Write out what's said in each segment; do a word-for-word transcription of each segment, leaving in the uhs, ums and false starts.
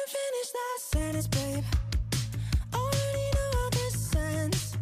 finish that sentence, babe. Already know how this ends.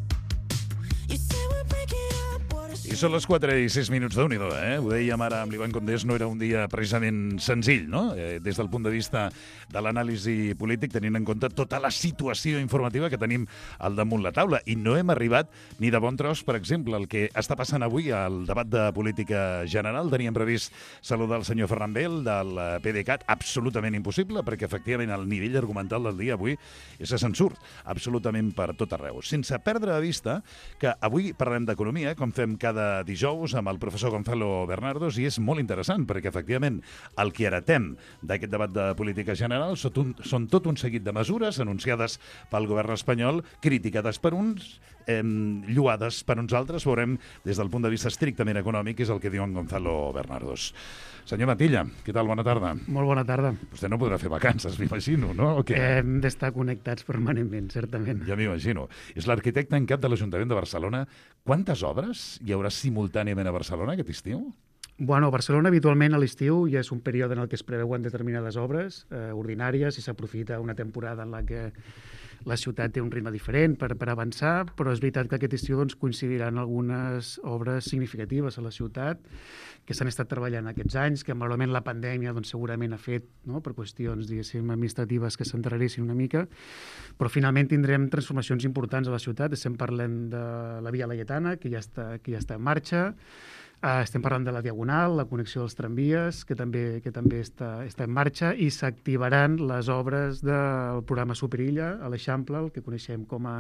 You say we're breaking up, what a I són les quatre i sis minuts de Déu-n'hi-do, eh? Ho dèiem ara amb l'Ivan Condés, no era un dia precisament senzill, no? Eh, des del punt de vista de l'anàlisi polític, tenint en compte tota la situació informativa que tenim al damunt la taula. I no hem arribat ni de bon tros, per exemple, el que està passant avui al debat de política general. Teníem previst saludar el senyor Ferran Bel del PDeCAT, absolutament impossible, perquè efectivament el nivell argumental del dia avui és que se'n surt absolutament per tot arreu. Sense perdre de vista que avui parlem d'economia, com fem cada dijous amb el professor Gonzalo Bernardos, i és molt interessant perquè efectivament el que heretem d'aquest debat de política general són, un, són tot un seguit de mesures anunciades pel govern espanyol, criticades per uns, eh, lloades per uns altres. Veurem des del punt de vista estrictament econòmic, és el que diu en Gonzalo Bernardos. Senyor Matilla, què tal? Bona tarda. Molt bona tarda. Vostè no podrà fer vacances, m'imagino, no? O què? Hem d'estar connectats permanentment, certament. Ja m'imagino. És l'arquitecte en cap de l'Ajuntament de Barcelona. Quantes obres hi haurà simultàniament a Barcelona aquest estiu? Bueno, a Barcelona habitualment a l'estiu ja és un període en el que es preveuen determinades obres eh, ordinàries i s'aprofita una temporada en la que la ciutat té un ritme diferent per, per avançar, però és veritat que aquest estiu doncs, coincidiran algunes obres significatives a la ciutat que s'han estat treballant aquests anys, que malauradament la pandèmia doncs, segurament ha fet, no?, per qüestions diguéssim administratives que s'endarrerissin una mica, però finalment tindrem transformacions importants a la ciutat. Estem parlant de la Via Laietana, que ja està, que ja està en marxa. Uh, estem parlant de la Diagonal, la connexió dels tramvies, que també, que també està, està en marxa, i s'activaran les obres del programa Superilla a l'Eixample, el que coneixem com a,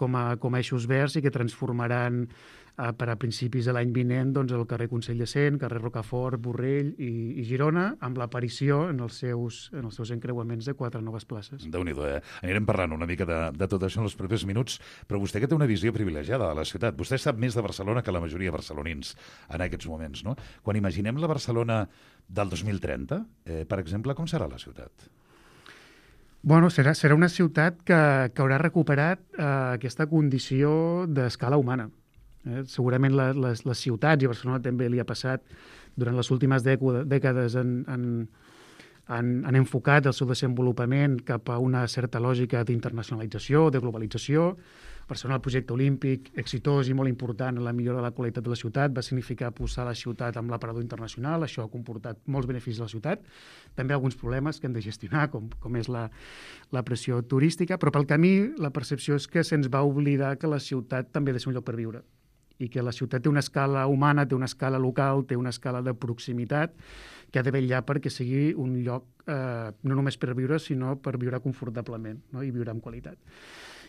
com a, com a eixos verds, i que transformaran uh, per a principis de l'any vinent doncs, el carrer Consell de Cent, carrer Rocafort, Borrell i, i Girona, amb l'aparició en els seus, en els seus encreuaments de quatre noves places. Déu-n'hi-do, eh? Anirem parlant una mica de, de tot això en els propers minuts, però vostè que té una visió privilegiada de la ciutat, vostè sap més de Barcelona que la majoria de barcelonins en aquests moments, no? Quan imaginem la Barcelona del dos mil trenta, eh, per exemple, com serà la ciutat? Bueno, serà, serà una ciutat que, que haurà recuperat eh, aquesta condició d'escala humana. Eh? Segurament la, les, les ciutats, i a Barcelona també li ha passat, durant les últimes dècades han, han, han, han enfocat el seu desenvolupament cap a una certa lògica d'internacionalització, de globalització. Barcelona, el projecte olímpic, exitós i molt important en la millora de la qualitat de la ciutat, va significar posar la ciutat amb l'aparador internacional. Això ha comportat molts beneficis a la ciutat, també alguns problemes que hem de gestionar, com, com és la, la pressió turística, però pel camí la percepció és que se'ns va oblidar que la ciutat també ha de ser un lloc per viure, i que la ciutat té una escala humana, té una escala local, té una escala de proximitat que ha de vetllar perquè sigui un lloc eh, no només per viure, sinó per viure confortablement, no?, i viure amb qualitat.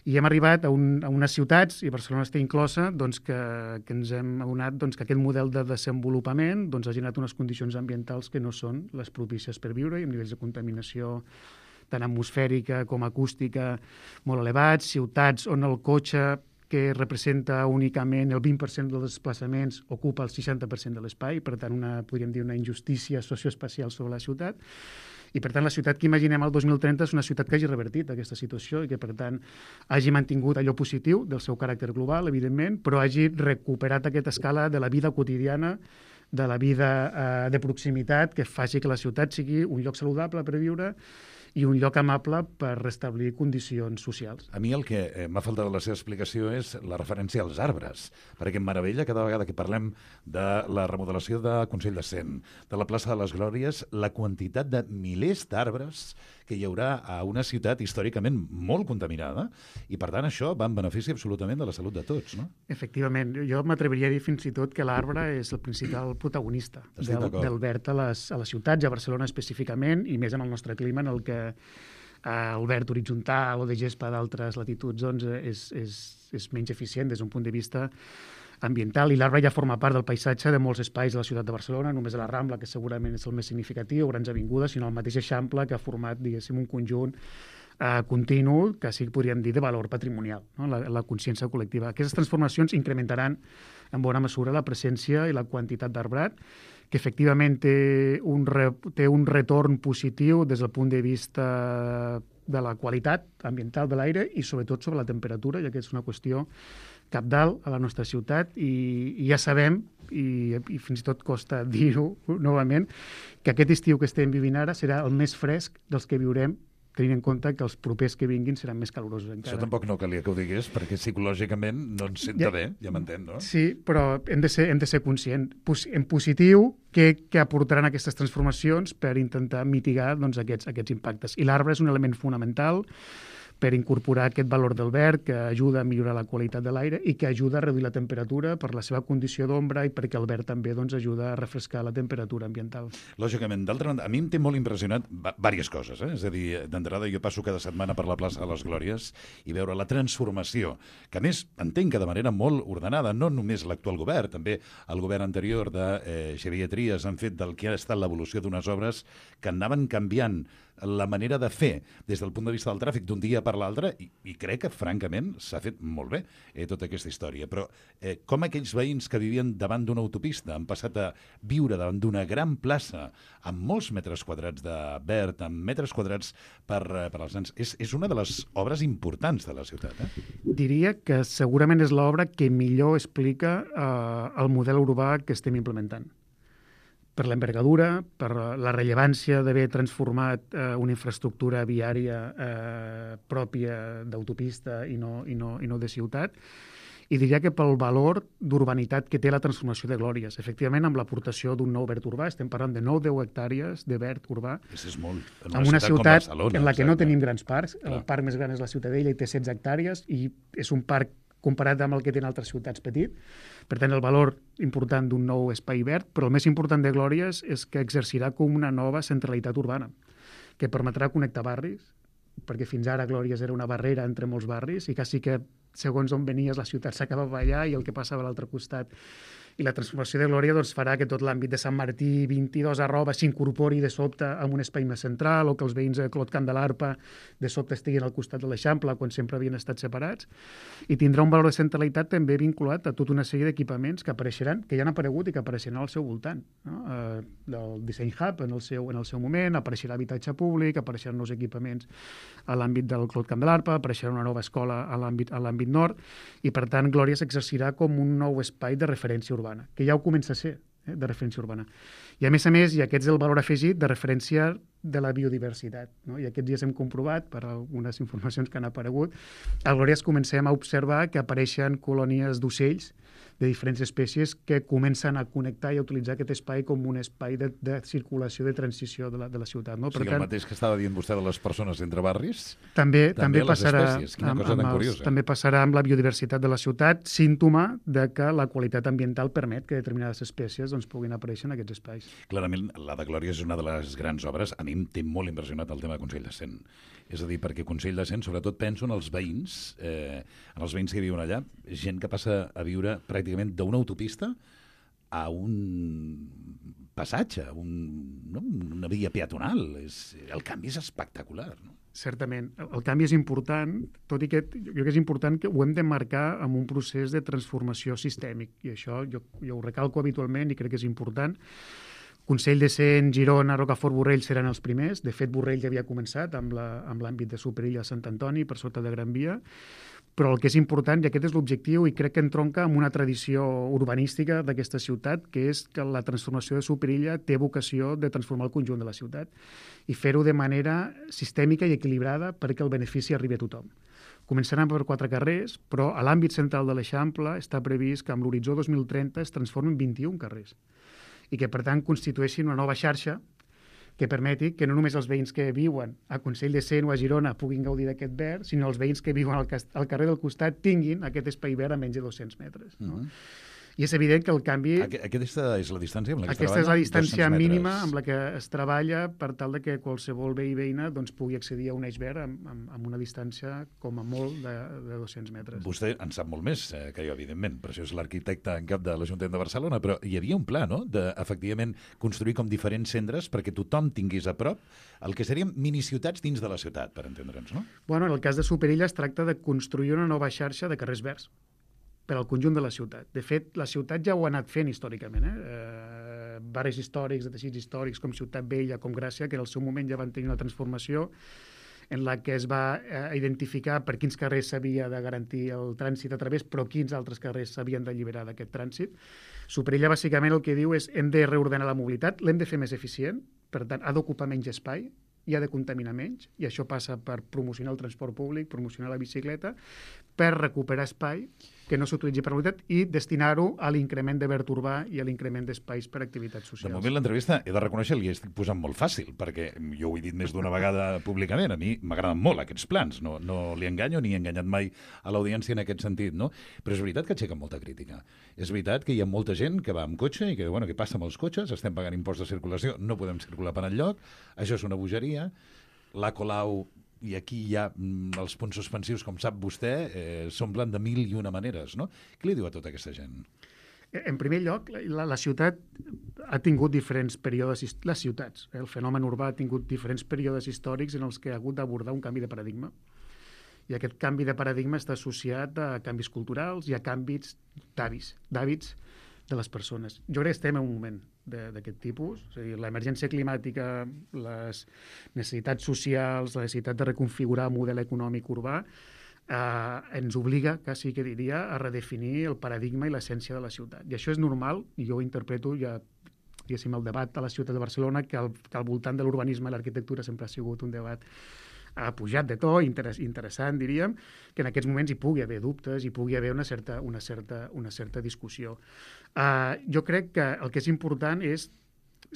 I hem arribat a, un, a unes ciutats, i Barcelona està inclosa, doncs que, que ens hem adonat doncs, que aquest model de desenvolupament doncs, ha generat unes condicions ambientals que no són les propícies per viure, i amb nivells de contaminació tant atmosfèrica com acústica molt elevats, ciutats on el cotxe, que representa únicament el vint per cent dels desplaçaments, ocupa el seixanta per cent de l'espai, per tant, una, podríem dir una injustícia socioespacial sobre la ciutat. I, per tant, la ciutat que imaginem el dos mil trenta és una ciutat que hagi revertit aquesta situació i que, per tant, hagi mantingut allò positiu del seu caràcter global, evidentment, però hagi recuperat aquesta escala de la vida quotidiana, de la vida eh, de proximitat, que faci que la ciutat sigui un lloc saludable per viure i un lloc amable per restablir condicions socials. A mi el que eh, m'ha faltat de la seva explicació és la referència als arbres, perquè em meravella cada vegada que parlem de la remodelació de Consell de Cent, de la plaça de les Glòries, la quantitat de milers d'arbres que hi haurà a una ciutat històricament molt contaminada, i per tant això va en benefici absolutament de la salut de tots, no? Efectivament, jo m'atreviria a dir fins i tot que l'arbre és el principal protagonista del, del verd a les, a les ciutats, a Barcelona específicament, i més en el nostre clima, en el que eh, el verd horitzontal o de gespa d'altres latituds doncs, és, és, és menys eficient des d'un punt de vista ambiental, i l'arbre ja forma part del paisatge de molts espais de la ciutat de Barcelona, només a la Rambla, que segurament és el més significatiu, grans avingudes, sinó el mateix Eixample, que ha format, diguéssim, un conjunt eh, continu, que sí que podríem dir de valor patrimonial, no?, la, la consciència col·lectiva. Aquestes transformacions incrementaran en bona mesura la presència i la quantitat d'arbrat, que efectivament té un, re, té un retorn positiu des del punt de vista de la qualitat ambiental de l'aire i sobretot sobre la temperatura, ja que és una qüestió cabdal a la nostra ciutat, i, i ja sabem, i, i fins i tot costa dir-ho novament, que aquest estiu que estem vivint ara serà el més fresc dels que viurem tenint en compte que els propers que vinguin seran més calorosos encara. Això tampoc no calia que ho digués, perquè psicològicament no ens senta Ja- bé, ja m'entén, no? Sí, però hem de ser, hem de ser conscients. Pos- En positiu, què, què aportaran aquestes transformacions per intentar mitigar doncs, aquests, aquests impactes. I l'arbre és un element fonamental per incorporar aquest valor del verd que ajuda a millorar la qualitat de l'aire i que ajuda a reduir la temperatura per la seva condició d'ombra i perquè el verd també doncs, ajuda a refrescar la temperatura ambiental. Lògicament, d'altra banda, a mi em té molt impressionat diverses coses, eh? És a dir, d'entrada jo passo cada setmana per la plaça de les Glòries i veure la transformació, que a més entenc que de manera molt ordenada, no només l'actual govern, també el govern anterior de eh, Xavier Trias han fet del que ha estat l'evolució d'unes obres que anaven canviant la manera de fer des del punt de vista del tràfic d'un dia per l'altre i, i crec que, francament, s'ha fet molt bé eh, tota aquesta història. Però eh, com aquells veïns que vivien davant d'una autopista han passat a viure davant d'una gran plaça amb molts metres quadrats de verd, amb metres quadrats per, eh, per als nens, és, és una de les obres importants de la ciutat. Eh? Diria que segurament és l'obra que millor explica eh, el model urbà que estem implementant. Per l'envergadura, per la rellevància d'haver transformat eh, una infraestructura viària eh, pròpia d'autopista i, no, i, no, i no de ciutat, i diria que pel valor d'urbanitat que té la transformació de Glòries. Efectivament, amb l'aportació d'un nou verd urbà, estem parlant de nou a deu hectàrees de verd urbà, És, és molt. En en una ciutat com Barcelona, en la que no exacte. tenim grans parcs. Clar. El parc més gran és la Ciutadella i té setze hectàrees i és un parc comparat amb el que tenen altres ciutats petit. Per tant, el valor important d'un nou espai verd, però el més important de Glòries és que exercirà com una nova centralitat urbana, que permetrà connectar barris, perquè fins ara Glòries era una barrera entre molts barris i quasi que segons on venies la ciutat s'acabava allà i el que passava a l'altre costat. I la transformació de Glòria doncs, farà que tot l'àmbit de Sant Martí, vint-i-dos arroba, s'incorpori de sobte en un espai més central o que els veïns de Clot Candelarpa de sobte estiguin al costat de l'Eixample quan sempre havien estat separats. I tindrà un valor de centralitat també vinculat a tota una sèrie d'equipaments que apareixeran, que ja han aparegut i que apareixeran al seu voltant. No? Eh, el Design Hub en el, seu, en el seu moment, apareixerà habitatge públic, apareixeran nous equipaments a l'àmbit del Clot Candelarpa, apareixerà una nova escola a l'àmbit a l'àmbit nord i, per tant, Glòria s'exercirà com un nou espai de referència urbana, que ja ho comença a ser, eh, de referència urbana. I a més a més, i aquest és el valor afegit de referència de la biodiversitat. No? I aquests dies hem comprovat, per algunes informacions que han aparegut, a Glòries comencem a observar que apareixen colònies d'ocells de diferents espècies que comencen a connectar i a utilitzar aquest espai com un espai de, de circulació, de transició de la, de la ciutat. No? O sigui, el mateix que estava dient vostè de les persones entre barris, També, també també, les passarà espècies. Quina amb, cosa amb tan els, curiosa. també passarà amb la biodiversitat de la ciutat, símptoma de que la qualitat ambiental permet que determinades espècies doncs, puguin aparèixer en aquests espais. clarament, la de Glòria és una de les grans obres. A mi em té molt impressionat el tema de Consell de Cent. És a dir, perquè Consell de Cent, sobretot penso en els veïns, eh, en els veïns que viuen allà, gent que passa a viure pràcticament d'una autopista a un passatge, un, no? una via peatonal. És, el canvi és espectacular, no? Certament. El, el canvi és important, tot i que jo crec que és important que ho hem de marcar amb un procés de transformació sistèmic. I això jo, jo ho recalco habitualment i crec que és important. Consell de Cent, Girona, Rocafort, Borrell seran els primers. De fet, Borrell ja havia començat amb la, amb l'àmbit de Superilla a Sant Antoni, per sota de Gran Via. Però el que és important, i aquest és l'objectiu, i crec que entronca amb una tradició urbanística d'aquesta ciutat, que és que la transformació de Superilla té vocació de transformar el conjunt de la ciutat i fer-ho de manera sistèmica i equilibrada perquè el benefici arribi a tothom. Començaran per quatre carrers, però a l'àmbit central de l'Eixample està previst que amb l'horitzó dos mil trenta es transformin vint-i-un carrers i que, per tant, constitueixin una nova xarxa que permeti que no només els veïns que viuen a Consell de Cent o a Girona puguin gaudir d'aquest verd, sinó els veïns que viuen al, al carrer del costat tinguin aquest espai verd a menys de dos-cents metres. No? Uh-huh. I és evident que el canvi... Aqu aquesta és la distància amb la que es Aquesta és la treballa? distància dos-cents mínima metres. amb la que es treballa per tal de que qualsevol veí i veïna doncs, pugui accedir a un eix verd amb, amb, amb una distància com a molt de, de dos-cents metres. Vostè en sap molt més eh, que jo, evidentment, per això és l'arquitecte en cap de l'Ajuntament de Barcelona, però hi havia un pla, no?, de, efectivament, construir com diferents centres perquè tothom tingués a prop el que serien miniciutats dins de la ciutat, per entendre'ns, no? Bueno, en el cas de Superilla es tracta de construir una nova xarxa de carrers verds per al conjunt de la ciutat. De fet, la ciutat ja ho ha anat fent històricament. Eh? Eh, barris històrics, de teixits històrics, com Ciutat Vella, com Gràcia, que en el seu moment ja van tenir una transformació en la que es va eh, identificar per quins carrers s'havia de garantir el trànsit a través, però quins altres carrers s'havien d'alliberar d'aquest trànsit. Superilla, bàsicament, el que diu és hem de reordenar la mobilitat, l'hem de fer més eficient, per tant, ha d'ocupar menys espai, i ha de contaminar menys, i això passa per promocionar el transport públic, promocionar la bicicleta, per recuperar espai que no s'utilitzi per mobilitat i destinar-ho a l'increment de verd urbà i a l'increment d'espais per a activitats socials. De moment l'entrevista, he de reconèixer, li estic posant molt fàcil, perquè jo ho he dit més d'una vegada públicament, a mi m'agraden molt aquests plans, no, no li enganyo ni he enganyat mai a l'audiència en aquest sentit, no? Però és veritat que aixequen molta crítica. És veritat que hi ha molta gent que va amb cotxe i que, bueno, què passa amb els cotxes? Estem pagant impost de circulació, no podem circular per enlloc, això és una bogeria. La Colau, i aquí hi ha mm, els punts suspensius, com sap vostè, eh, s'omplen de mil i una maneres, no? Què li diu a tota aquesta gent? En primer lloc, la, la ciutat ha tingut diferents períodes, les ciutats, eh, el fenomen urbà ha tingut diferents períodes històrics en els que ha hagut d'abordar un canvi de paradigma. I aquest canvi de paradigma està associat a canvis culturals i a canvis d'hàbits, d'hàbits de les persones. Jo crec que estem en un moment d'aquest tipus, és a dir, l'emergència climàtica, les necessitats socials, la necessitat de reconfigurar el model econòmic urbà, eh, ens obliga, quasi que diria, a redefinir el paradigma i l'essència de la ciutat. I això és normal, i jo ho interpreto ja diguéssim, el debat a la ciutat de Barcelona, que al, que al voltant de l'urbanisme i l'arquitectura sempre ha sigut un debat ha pujat de to, interess, interessant, diríem, que en aquests moments hi pugui haver dubtes, hi pugui haver una certa, una certa, una certa discussió. Uh, jo crec que el que és important és,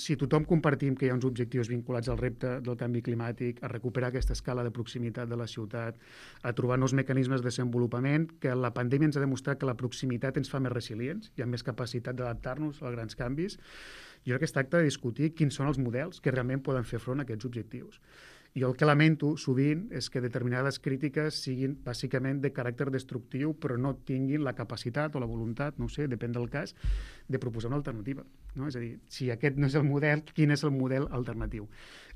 si tothom compartim que hi ha uns objectius vinculats al repte del canvi climàtic, a recuperar aquesta escala de proximitat de la ciutat, a trobar nous mecanismes de desenvolupament, que la pandèmia ens ha demostrat que la proximitat ens fa més resilients, hi ha més capacitat d'adaptar-nos als grans canvis. Jo crec que es tracta de discutir quins són els models que realment poden fer front a aquests objectius. Jo el que lamento sovint és que determinades crítiques siguin bàsicament de caràcter destructiu, però no tinguin la capacitat o la voluntat, no ho sé, depèn del cas, de proposar una alternativa. No? És a dir, si aquest no és el model, quin és el model alternatiu?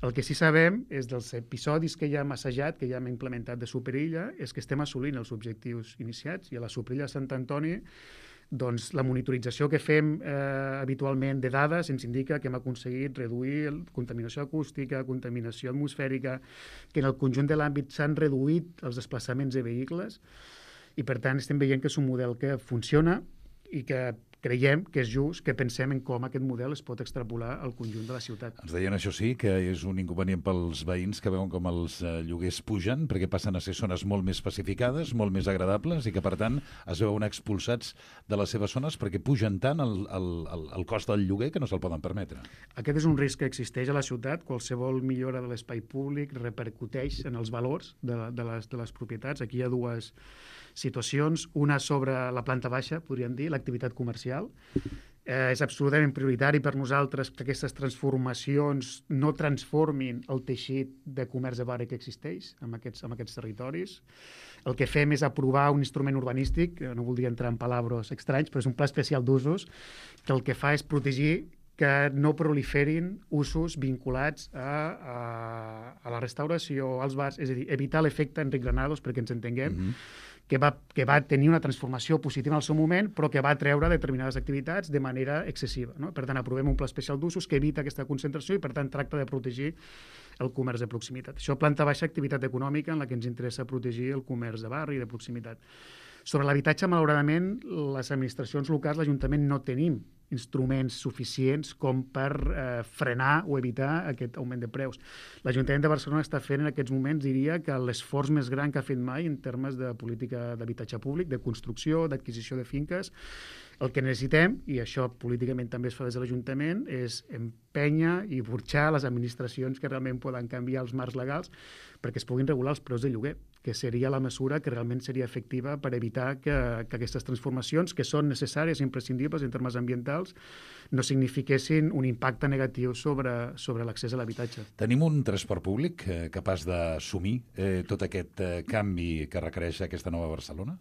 El que sí sabem és dels episodis que ja hem assajat, que ja hem implementat de Superilla, és que estem assolint els objectius iniciats, i a la Superilla de Sant Antoni doncs la monitorització que fem eh, habitualment de dades ens indica que hem aconseguit reduir la contaminació acústica, contaminació atmosfèrica, que en el conjunt de l'àmbit s'han reduït els desplaçaments de vehicles i per tant estem veient que és un model que funciona i que creiem que és just que pensem en com aquest model es pot extrapolar al conjunt de la ciutat. Ens deien, això sí, que és un inconvenient pels veïns que veuen com els eh, lloguers pugen, perquè passen a ser zones molt més pacificades, molt més agradables, i que, per tant, es veuen expulsats de les seves zones perquè pugen tant el, el, el, el cost del lloguer que no se'l poden permetre. Aquest és un risc que existeix a la ciutat. Qualsevol millora de l'espai públic repercuteix en els valors de, de, les, de les propietats. Aquí hi ha dues situacions, una sobre la planta baixa, podríem dir, l'activitat comercial. Eh, és absolutament prioritari per nosaltres que aquestes transformacions no transformin el teixit de comerç de barri que existeix en aquests, en aquests territoris. El que fem és aprovar un instrument urbanístic, no voldria entrar en palabres estranys, però és un pla especial d'usos que el que fa és protegir que no proliferin usos vinculats a, a, a la restauració, als bars, és a dir, evitar l'efecte Enric Granados, perquè ens entenguem, mm-hmm. que, va, que va tenir una transformació positiva en el seu moment, però que va treure determinades activitats de manera excessiva. No? Per tant, aprovem un pla especial d'usos que evita aquesta concentració i, per tant, tracta de protegir el comerç de proximitat. Això planta baixa, activitat econòmica en la que ens interessa protegir el comerç de barri i de proximitat. Sobre l'habitatge, malauradament, les administracions locals, l'Ajuntament, no tenim instruments suficients com per eh, frenar o evitar aquest augment de preus. L'Ajuntament de Barcelona està fent en aquests moments, diria, que l'esforç més gran que ha fet mai en termes de política d'habitatge públic, de construcció, d'adquisició de finques. El que necessitem, i això políticament també es fa des de l'Ajuntament, és empènyer i burxar les administracions que realment poden canviar els marcs legals perquè es puguin regular els preus de lloguer, que seria la mesura que realment seria efectiva per evitar que, que aquestes transformacions, que són necessàries i imprescindibles en termes ambientals, no signifiquessin un impacte negatiu sobre, sobre l'accés a l'habitatge. Tenim un transport públic eh, capaç d'assumir eh, tot aquest eh, canvi que requereix aquesta nova Barcelona?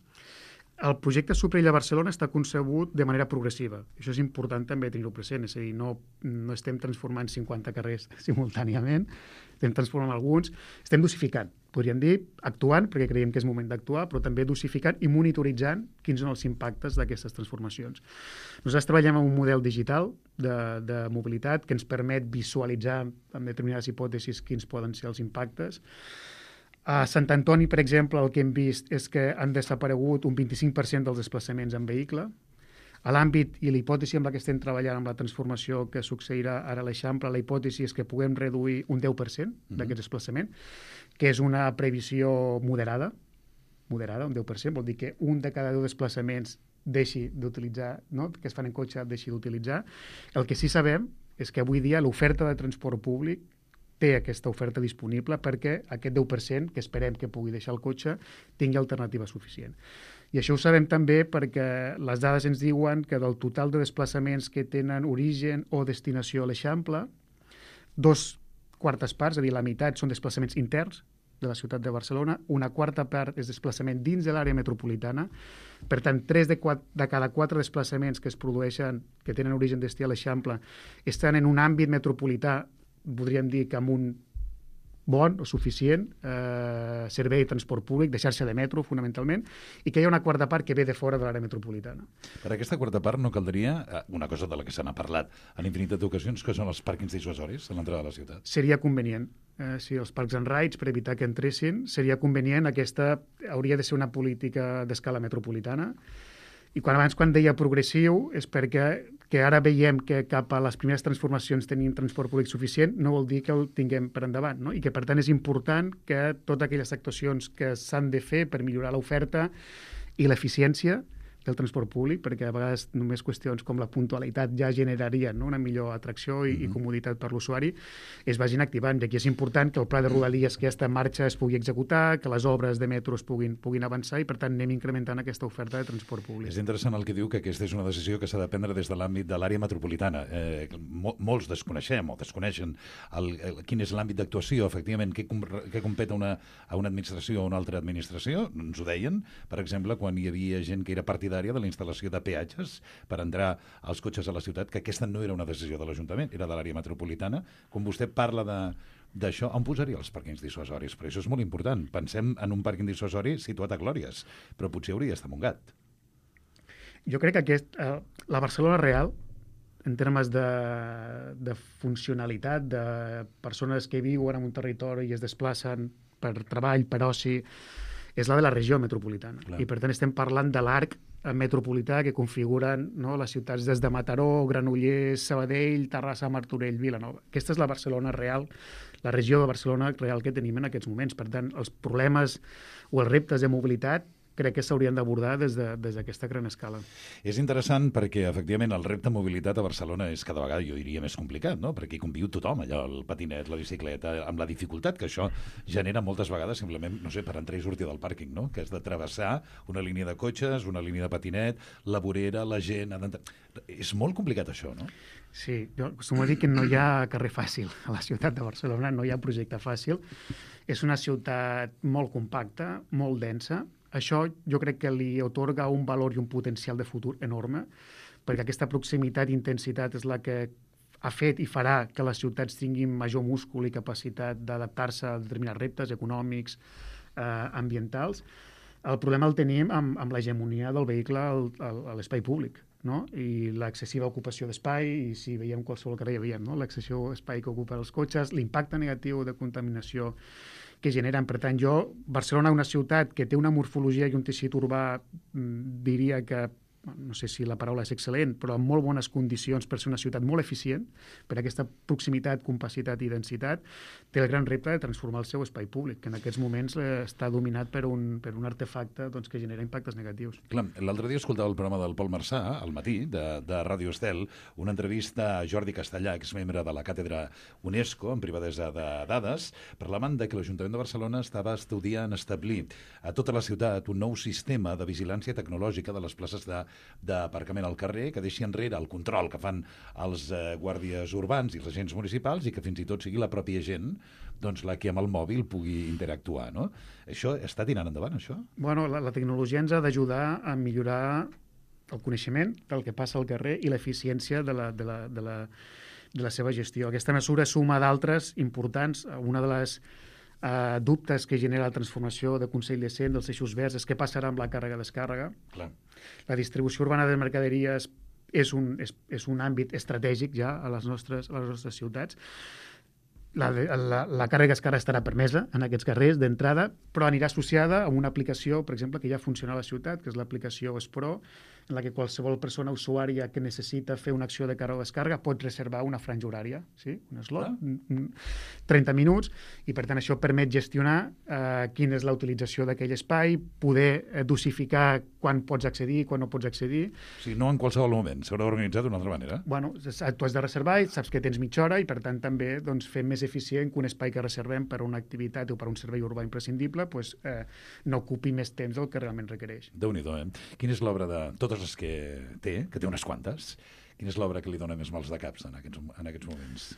El projecte Superilla Barcelona està concebut de manera progressiva. Això és important també tenir-ho present, és a dir, no, no estem transformant cinquanta carrers simultàniament, estem transformant alguns, estem dosificant, podríem dir, actuant, perquè creiem que és moment d'actuar, però també dosificant i monitoritzant quins són els impactes d'aquestes transformacions. Nosaltres treballem en un model digital de, de mobilitat que ens permet visualitzar amb determinades hipòtesis quins poden ser els impactes. A Sant Antoni, per exemple, el que hem vist és que han desaparegut un vint-i-cinc per cent dels desplaçaments en vehicle. A l'àmbit i l'hipòtesi amb la que estem treballant amb la transformació que succeirà ara a l'Eixample, la hipòtesi és que puguem reduir un deu per cent d'aquest desplaçament, que és una previsió moderada, moderada, un deu per cent, vol dir que un de cada deu desplaçaments deixi d'utilitzar, no? que es fan en cotxe, deixi d'utilitzar. El que sí sabem és que avui dia l'oferta de transport públic té aquesta oferta disponible perquè aquest deu per cent que esperem que pugui deixar el cotxe tingui alternativa suficient. I això ho sabem també perquè les dades ens diuen que del total de desplaçaments que tenen origen o destinació a l'Eixample, dos quartes parts, és a dir, la meitat són desplaçaments interns de la ciutat de Barcelona, una quarta part és desplaçament dins de l'àrea metropolitana, per tant, tres de, quatre, de cada quatre desplaçaments que es produeixen, que tenen origen destí a l'Eixample, estan en un àmbit metropolità, podríem dir que amb un bon o suficient eh, servei de transport públic, de xarxa de metro, fonamentalment, i que hi ha una quarta part que ve de fora de l'àrea metropolitana. Per aquesta quarta part no caldria, una cosa de la que se n'ha parlat en infinitat d'ocasions, que són els pàrquings dissuasoris a l'entrada de la ciutat. Seria convenient. Eh, si els parcs and rides, per evitar que entressin, seria convenient. Aquesta hauria de ser una política d'escala metropolitana. I quan abans, quan deia progressiu, és perquè que ara veiem que cap a les primeres transformacions tenim transport públic suficient, no vol dir que el tinguem per endavant, no? I que, per tant, és important que totes aquelles actuacions que s'han de fer per millorar l'oferta i l'eficiència del transport públic, perquè a vegades només qüestions com la puntualitat ja generarien, no? una millor atracció i, mm-hmm. i comoditat per l'usuari, es vagin activant. I aquí és important que el pla de Rodalies que ja està en marxa es pugui executar, que les obres de metro es puguin, puguin avançar i, per tant, anem incrementant aquesta oferta de transport públic. És interessant el que diu, que aquesta és una decisió que s'ha de prendre des de l'àmbit de l'àrea metropolitana. Eh, mo molts desconeixem o desconeixen el, el, quin és l'àmbit d'actuació, efectivament, què, com, què competa una, a una administració o una altra administració. Ens ho deien, per exemple, quan hi havia gent que era partidària de la instal·lació de peatges per entrar als cotxes a la ciutat, que aquesta no era una decisió de l'Ajuntament, era de l'àrea metropolitana. Quan vostè parla de d'això, on posaria els pàrquings dissuasoris? Però això és molt important. Pensem en un pàrquing dissuasori situat a Glòries, però potser hauria d'estar a Montgat. Jo crec que aquest, eh, la Barcelona real, en termes de, de funcionalitat, de persones que viuen en un territori i es desplacen per treball, per oci, és la de la regió metropolitana. Clar. I, per tant, estem parlant de l'arc metropolità que configuren, no, les ciutats des de Mataró, Granollers, Sabadell, Terrassa, Martorell, Vilanova. Aquesta és la Barcelona real, la regió de Barcelona real que tenim en aquests moments. Per tant, els problemes o els reptes de mobilitat crec que s'haurien d'abordar des de, des d'aquesta gran escala. És interessant perquè, efectivament, el repte de mobilitat a Barcelona és cada vegada, jo diria, més complicat, no? Perquè hi conviu tothom, allò, el patinet, la bicicleta, amb la dificultat que això genera moltes vegades simplement, no sé, per entrar i sortir del pàrquing, no? Que has de travessar una línia de cotxes, una línia de patinet, la vorera, la gent... Ha d'entrar... És molt complicat això, no? Sí, jo acostumo a dir que no hi ha carrer fàcil a la ciutat de Barcelona, no hi ha projecte fàcil. És una ciutat molt compacta, molt densa. Això jo crec que li atorga un valor i un potencial de futur enorme, perquè aquesta proximitat i intensitat és la que ha fet i farà que les ciutats tinguin major múscul i capacitat d'adaptar-se a determinats reptes econòmics, eh, ambientals. El problema el tenim amb, amb l'hegemonia del vehicle al, al, a l'espai públic, no? I l'excessiva ocupació d'espai, i si veiem qualsevol carrer ja veiem, no? L'excessiu espai que ocupen els cotxes, l'impacte negatiu de contaminació que generen. Per tant, jo, Barcelona, una ciutat que té una morfologia i un teixit urbà, diria que, no sé si la paraula és excel·lent, però amb molt bones condicions per ser una ciutat molt eficient, per aquesta proximitat, compacitat i densitat, té el gran repte de transformar el seu espai públic, que en aquests moments eh, està dominat per un, per un artefacte, doncs, que genera impactes negatius. Clar, l'altre dia escoltava el programa del Pol Marçà, al matí, de, de Ràdio Estel, una entrevista a Jordi Castellà, exmembre de la càtedra UNESCO, en privadesa de dades, parlant de que l'Ajuntament de Barcelona estava estudiant establir a tota la ciutat un nou sistema de vigilància tecnològica de les places de d'aparcament al carrer, que deixi enrere el control que fan els eh, guàrdies urbans i els agents municipals, i que fins i tot sigui la pròpia gent, doncs, la que amb el mòbil pugui interactuar, no? Això està tirant endavant, això? Bueno, la, la tecnologia ens ha d'ajudar a millorar el coneixement del que passa al carrer i l'eficiència de la, de la, de la, de la seva gestió. Aquesta mesura suma d'altres importants. Una de les Uh, dubtes que genera la transformació de Consell de Cent, dels eixos verds, és què passarà amb la càrrega-descàrrega. Clar. La distribució urbana de mercaderies és un, és, és un àmbit estratègic ja a les nostres, a les nostres ciutats. La, la, la càrrega-descàrrega estarà permesa en aquests carrers d'entrada, però anirà associada a una aplicació, per exemple, que ja funciona a la ciutat, que és l'aplicació Espro, en la que qualsevol persona usuària que necessita fer una acció de càrrega o descàrrega pot reservar una franja horària, sí? Un slot, Ah. trenta minuts, i per tant això permet gestionar eh, quina és la utilització d'aquell espai, poder eh, dosificar quan pots accedir, quan no pots accedir. O sigui, no en qualsevol moment, s'haurà organitzat d'una altra manera. Bueno, tu has de reservar i saps que tens mitja hora i per tant també doncs, fer més eficient que un espai que reservem per a una activitat o per a un servei urbà imprescindible pues, eh, no ocupi més temps del que realment requereix. Déu-n'hi-do, eh? Quina és l'obra de totes les que té, que té unes quantes, quina és l'obra que li dona més mals de caps en aquests, en aquests moments?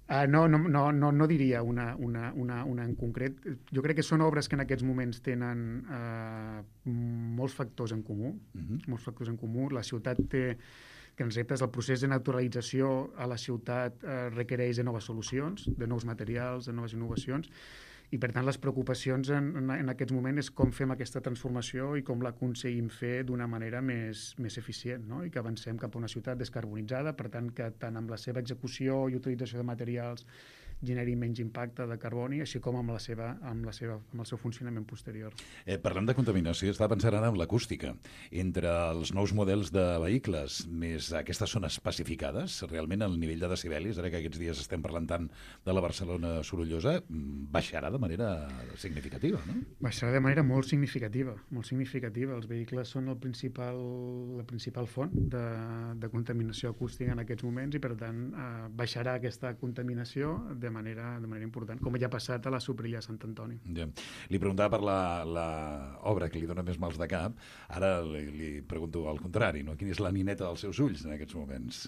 Uh, no, no, no, no, no diria una, una, una, una en concret. Jo crec que són obres que en aquests moments tenen uh, molts factors en comú, Uh-huh. molts factors en comú. La ciutat té grans reptes. El procés de naturalització a la ciutat uh, requereix de noves solucions, de nous materials, de noves innovacions, i per tant les preocupacions en, en, en aquests moments és com fem aquesta transformació i com l'aconseguim fer d'una manera més, més eficient, no? I que avancem cap a una ciutat descarbonitzada, per tant que tant amb la seva execució i utilització de materials generi menys impacte de carboni, així com amb, la seva, amb, la seva, amb el seu funcionament posterior. Eh, parlant de contaminació, estava pensant ara en l'acústica. Entre els nous models de vehicles més aquestes zones pacificades, realment el nivell de decibelis, ara que aquests dies estem parlant tant de la Barcelona sorollosa, baixarà de manera significativa, no? Baixarà de manera molt significativa, molt significativa. Els vehicles són el principal, la principal font de, de contaminació acústica en aquests moments i, per tant, eh, baixarà aquesta contaminació de manera, de manera important, com ja ha passat a la Soprilla de Sant Antoni. Ja. Li preguntava per l'obra que li dona més mals de cap, ara li, li pregunto al contrari, no? Quina és la nineta dels seus ulls en aquests moments?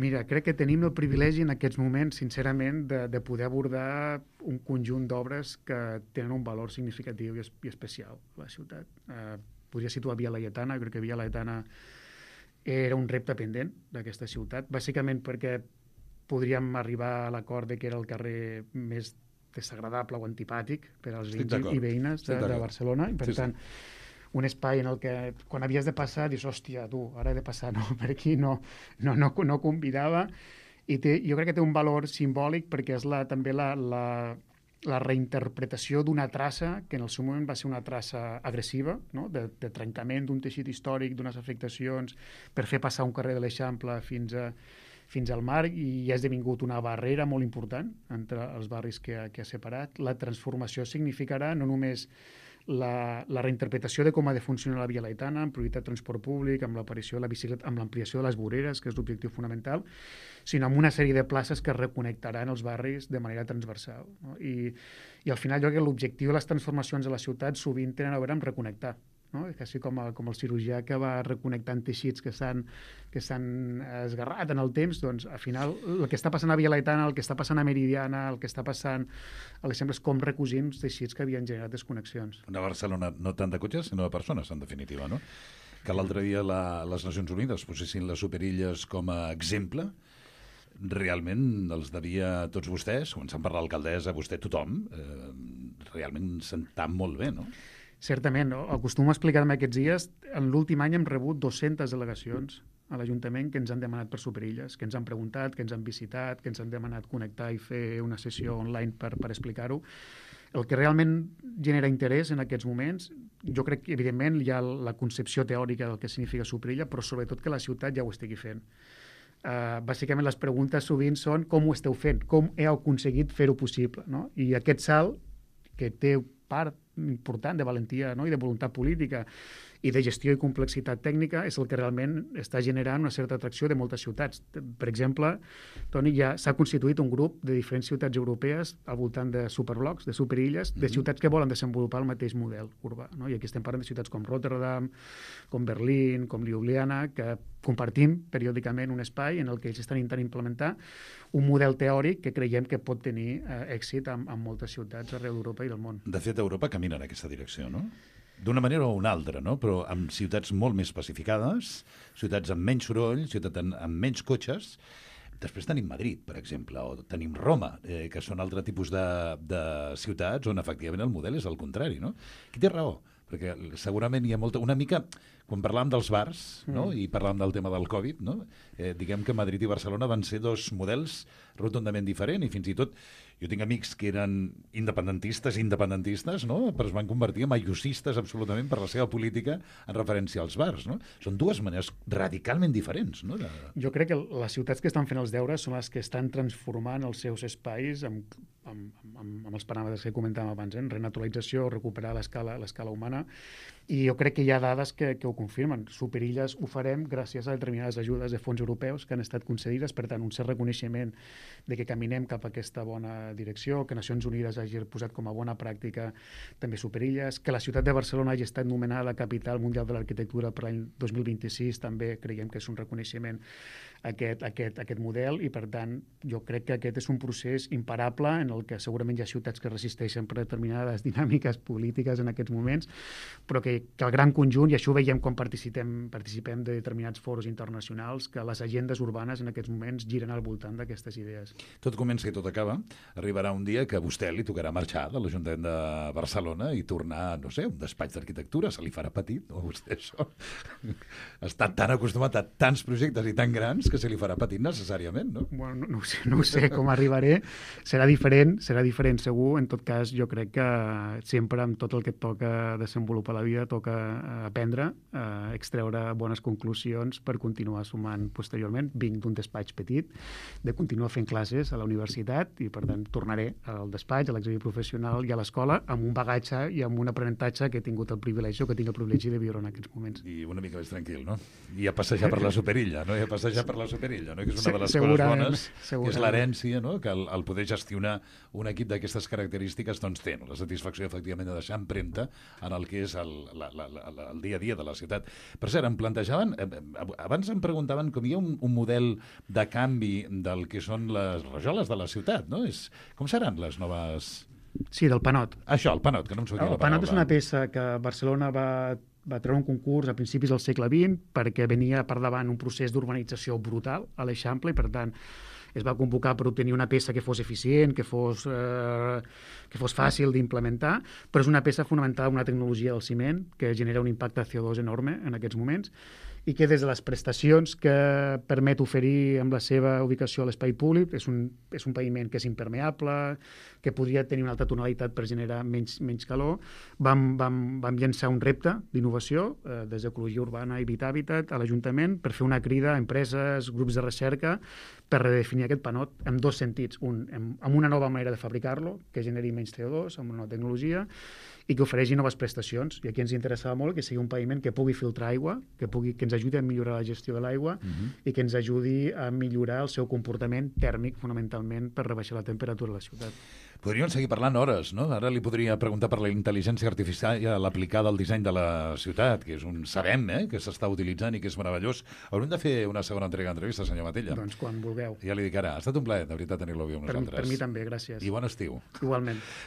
Mira, crec que tenim el privilegi en aquests moments, sincerament, de, de poder abordar un conjunt d'obres que tenen un valor significatiu i, es, i especial a la ciutat. Eh, podria situar Via Laietana, crec que Via Laietana era un repte pendent d'aquesta ciutat, bàsicament perquè podríem arribar a l'acord de que era el carrer més desagradable o antipàtic per als Estic veïns d'acord. i veïnes de, Estic de d'acord. Barcelona, i per Sí, sí. tant, un espai en el que quan havies de passar dius, hòstia, tu, ara he de passar, no, per aquí no, no, no, no convidava, i té, jo crec que té un valor simbòlic perquè és la, també la, la, la reinterpretació d'una traça que en el seu moment va ser una traça agressiva, no? de, de trencament d'un teixit històric, d'unes afectacions, per fer passar un carrer de l'Eixample fins a fins al mar, i ha esdevingut una barrera molt important entre els barris que ha, que ha separat. La transformació significarà no només la, la reinterpretació de com ha de funcionar la Via Laietana, amb prioritat de transport públic, amb l'aparició de la bicicleta, amb l'ampliació de les voreres, que és l'objectiu fonamental, sinó amb una sèrie de places que reconnectaran els barris de manera transversal. No? I, I al final jo crec que l'objectiu de les transformacions a la ciutat sovint tenen a veure amb reconnectar. No? Quasi com, el, com el cirurgià que va reconnectant teixits que s'han que s'han esgarrat en el temps, doncs al final el que està passant a Via Laietana, el que està passant a Meridiana, el que està passant a l'exemple és com recosim teixits que havien generat desconnexions. Una Barcelona no tant de cotxes, sinó de persones, en definitiva, no? Que l'altre dia la, les Nacions Unides posessin les Superilles com a exemple, realment els devia a tots vostès, començant per l'alcaldessa, vostè, tothom, eh, realment sentar molt bé, no? Certament, no? Acostumo a explicar-me aquests dies, en l'últim any hem rebut dues-centes delegacions a l'Ajuntament que ens han demanat per Superilles, que ens han preguntat, que ens han visitat, que ens han demanat connectar i fer una sessió online per, per explicar-ho. El que realment genera interès en aquests moments, jo crec que evidentment hi ha la concepció teòrica del que significa Superilla, però sobretot que la ciutat ja ho estigui fent. Uh, bàsicament les preguntes sovint són com ho esteu fent, com heu aconseguit fer-ho possible, no? I aquest salt, que té part important de valentia, no? I de voluntat política i de gestió i complexitat tècnica, és el que realment està generant una certa atracció de moltes ciutats. Per exemple, Toni, ja s'ha constituït un grup de diferents ciutats europees al voltant de superblocs, de superilles, de ciutats que volen desenvolupar el mateix model urbà, no? I aquí estem parlant de ciutats com Rotterdam, com Berlín, com Ljubljana, que compartim periòdicament un espai en el que ells estan intentant implementar un model teòric que creiem que pot tenir eh, èxit en, en moltes ciutats arreu d'Europa i del món. De fet, Europa camina en aquesta direcció, no? D'una manera o una altra, no? Però amb ciutats molt més pacificades, ciutats amb menys soroll, ciutats amb, amb menys cotxes. Després tenim Madrid, per exemple, o tenim Roma, eh, que són altre tipus de, de ciutats on efectivament el model és el contrari, no? Qui té raó? Perquè segurament hi ha molta, una mica quan parlàvem dels bars, no? Mm. I parlàvem del tema del Covid, no? Eh, diguem que Madrid i Barcelona van ser dos models rotundament diferents i fins i tot jo tinc amics que eren independentistes, independentistes, no? Però es van convertir en ayusistes absolutament per la seva política en referència als bars, no? Són dues maneres radicalment diferents, no? De... Jo crec que les ciutats que estan fent els deures són les que estan transformant els seus espais amb, amb, amb, amb els paràmetres que comentàvem abans, eh? Renaturalització, recuperar l'escala l'escala humana, i jo crec que hi ha dades que, que ho confirmen. Superilles ho farem gràcies a determinades ajudes de fons europeus que han estat concedides, per tant, un cert reconeixement de que caminem cap a aquesta bona direcció, que Nacions Unides hagi posat com a bona pràctica també Superilles, que la ciutat de Barcelona hagi estat nomenada capital mundial de l'arquitectura per l'any dos mil vint-i-sis, també creiem que és un reconeixement aquest, aquest, aquest model, i per tant jo crec que aquest és un procés imparable en el que segurament hi ha ciutats que resisteixen per determinades dinàmiques polítiques en aquests moments, però que, que el gran conjunt, i això ho veiem quan participem, participem de determinats foros internacionals, que les agendes urbanes en aquests moments giren al voltant d'aquestes idees. Tot comença i tot acaba. Arribarà un dia que a vostè li tocarà marxar de l'Ajuntament de Barcelona i tornar, no sé, a un despatx d'arquitectura. Se li farà petit, no? Vostè això. Està tan acostumat a tants projectes i tan grans que se li farà petit necessàriament, no? Bueno, no, no, ho sé, no ho sé com arribaré. Serà diferent, serà diferent segur. En tot cas, jo crec que sempre amb tot el que et toca desenvolupar la vida toca aprendre, eh, extreure bones conclusions per continuar sumant posteriorment. Vinc d'un despatx petit, de continuar fent classes a la universitat, i per tant tornaré al despatx, a l'exili professional i a l'escola amb un bagatge i amb un aprenentatge que he tingut el privilegi, o que tinc el privilegi de viure en aquests moments. I una mica més tranquil, no? I a passejar per la Superilla, no? I a passejar per la Superilla, no? Que és una de les coses bones, que és l'herència, no? Que el, el poder gestionar un equip d'aquestes característiques doncs té, no? La satisfacció efectivament de deixar empremta en el que és el, la, la, la, el dia a dia de la ciutat. Per cert, em plantejaven, abans em preguntaven com hi ha un, un model de canvi del que són les rajoles de la ciutat, no? És, com seran les noves... Sí, del Panot. Això, el Panot, que no em sortia El la paraula. Panot és una peça que Barcelona va, va treure un concurs a principis del segle vint perquè venia per davant un procés d'urbanització brutal a l'Eixample, i per tant es va convocar per obtenir una peça que fos eficient, que fos, eh, que fos fàcil d'implementar, però és una peça fonamentada en una tecnologia del ciment que genera un impacte C O dos enorme en aquests moments, i que des de les prestacions que permet oferir amb la seva ubicació a l'espai públic, és un, és un paviment que és impermeable, que podria tenir una altra tonalitat per generar menys, menys calor. Vam, vam, vam llançar un repte d'innovació eh, des d'Ecologia Urbana i Vitàbitat a l'Ajuntament per fer una crida a empreses, grups de recerca, per redefinir aquest panot en dos sentits. Un, amb, amb una nova manera de fabricar-lo, que generi menys C O dos, amb una nova tecnologia, i que ofereixi noves prestacions. I aquí ens interessava molt que sigui un paviment que pugui filtrar aigua, que, pugui, que ens ajudi a millorar la gestió de l'aigua, uh-huh. i que ens ajudi a millorar el seu comportament tèrmic, fonamentalment, per rebaixar la temperatura de la ciutat. Podríem seguir parlant hores, no? Ara li podria preguntar per la intel·ligència artificial aplicada al disseny de la ciutat, que és un sabem, eh?, que s'està utilitzant i que és meravellós. Haurem de fer una segona entrega d'entrevista, senyor Matella. Doncs quan vulgueu. Ja li dic ara. Ha estat un plaer, de veritat, tenir-lo avui amb Per, nosaltres. per mi també, gràcies. I bon estiu. Igualment.